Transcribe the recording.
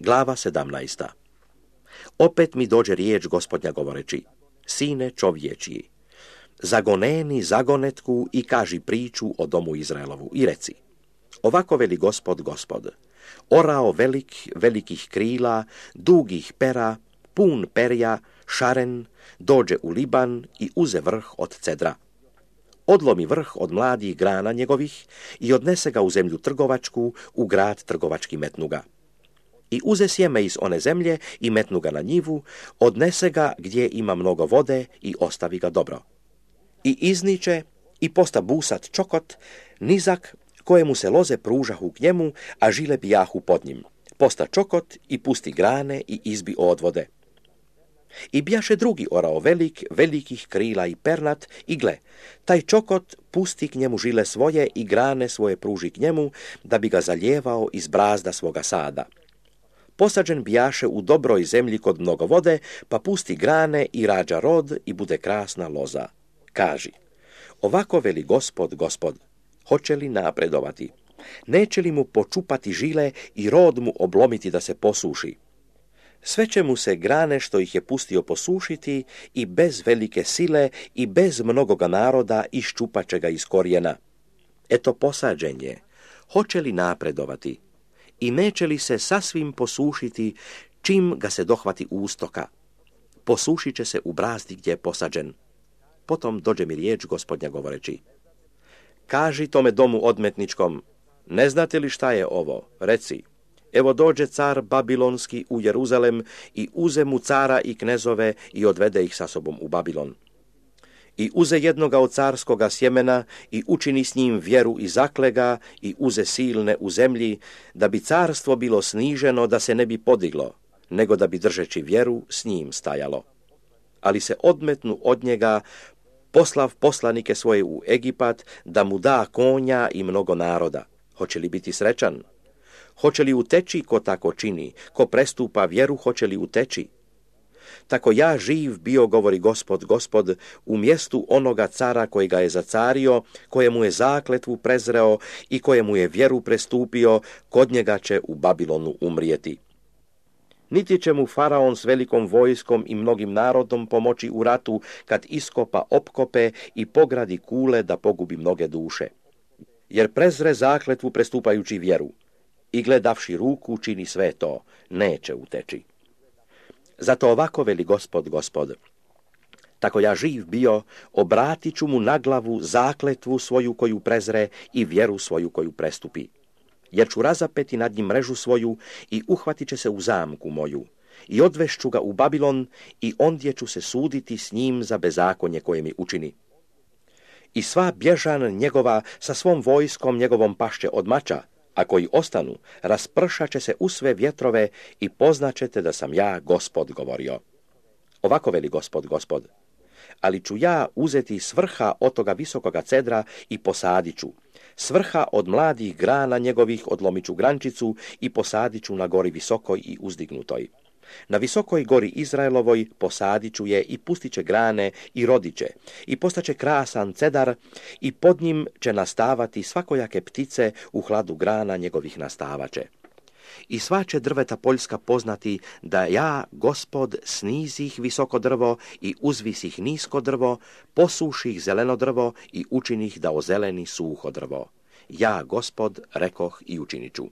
Glava 17. Opet mi dođe riječ Gospodnja govoreći: Sine čovječji, zagoneni zagonetku i kaži priču o domu Izraelovu i reci: Ovako veli Gospod, Gospod, orao velikih krila, dugih pera, pun perja, šaren, dođe u Liban i uze vrh od cedra. Odlomi vrh od mladih grana njegovih i odnese ga u zemlju trgovačku, u grad trgovački metnu ga. I uze sjeme iz one zemlje i metnu ga na njivu, odnese ga gdje ima mnogo vode i ostavi ga dobro. I izniče i posta busat čokot, nizak, kojemu se loze pružahu k njemu, a žile bijahu pod njim. Posta čokot i pusti grane i izbi odvode. I bijaše drugi orao velikih krila i pernat, i gle, taj čokot pusti k njemu žile svoje i grane svoje pruži k njemu, da bi ga zalijevao iz brazda svoga sada. Posađen bijaše u dobroj zemlji kod mnogo vode, pa pusti grane i rađa rod i bude krasna loza. Kaži: Ovako veli Gospod, Gospod, hoće li napredovati? Neće li mu počupati žile i rod mu oblomiti da se posuši? Sve će mu se grane što ih je pustio posušiti i bez velike sile i bez mnogoga naroda iščupat će ga iz korijena. Eto posađen je, hoće li napredovati? I neće li se sasvim posušiti čim ga se dohvati ustoka? Posušit će se u brazdi gdje je posađen. Potom dođe mi riječ Gospodnja govoreći: Kaži tome domu odmetničkom: Ne znate li šta je ovo? Reci: Evo dođe car Babilonski u Jeruzalem i uze mu cara i knezove i odvede ih sa sobom u Babilon. I uze jednoga od carskoga sjemena i učini s njim vjeru i zaklega i uze silne u zemlji, da bi carstvo bilo sniženo, da se ne bi podiglo, nego da bi držeći vjeru s njim stajalo. Ali se odmetnu od njega, poslav poslanike svoje u Egipat, da mu da konja i mnogo naroda. Hoće li biti srećan? Hoće li uteći ko tako čini? Ko prestupa vjeru, hoće li uteći? Tako ja živ bio, govori Gospod, Gospod, u mjestu onoga cara koji ga je zacario, kojemu je zakletvu prezreo i kojemu je vjeru prestupio, kod njega će u Babilonu umrijeti. Niti će mu faraon s velikom vojskom i mnogim narodom pomoći u ratu, kad iskopa opkope i pogradi kule da pogubi mnoge duše. Jer prezre zakletvu prestupajući vjeru i gledavši ruku čini sve to, neće uteći. Zato ovako veli Gospod, Gospod, tako ja živ bio, obratit ću mu na glavu zakletvu svoju koju prezre i vjeru svoju koju prestupi. Jer ću razapeti nad njim mrežu svoju i uhvatit će se u zamku moju. I odvešću ga u Babilon i ondje ću se suditi s njim za bezakonje koje mi učini. I sva bježan njegova sa svom vojskom njegovom pašće od mača, a koji ostanu, raspršat će se u sve vjetrove i poznaćete da sam ja Gospod govorio. Ovako veli Gospod, Gospod, ali ću ja uzeti s vrha od toga visokoga cedra i posadit ću. S vrha od mladih grana njegovih odlomit ću grančicu i posadit ću na gori visokoj i uzdignutoj. Na visokoj gori Izraelovoj posadit ću je i pustit će grane i rodit će i postaće krasan cedar i pod njim će nastavati svakojake ptice, u hladu grana njegovih nastavaće. I sva će drveta poljska poznati da ja, Gospod, snizih visoko drvo i uzvisih nisko drvo, posuših zeleno drvo i učinih da ozeleni suho drvo. Ja, Gospod, rekoh i učinit ću.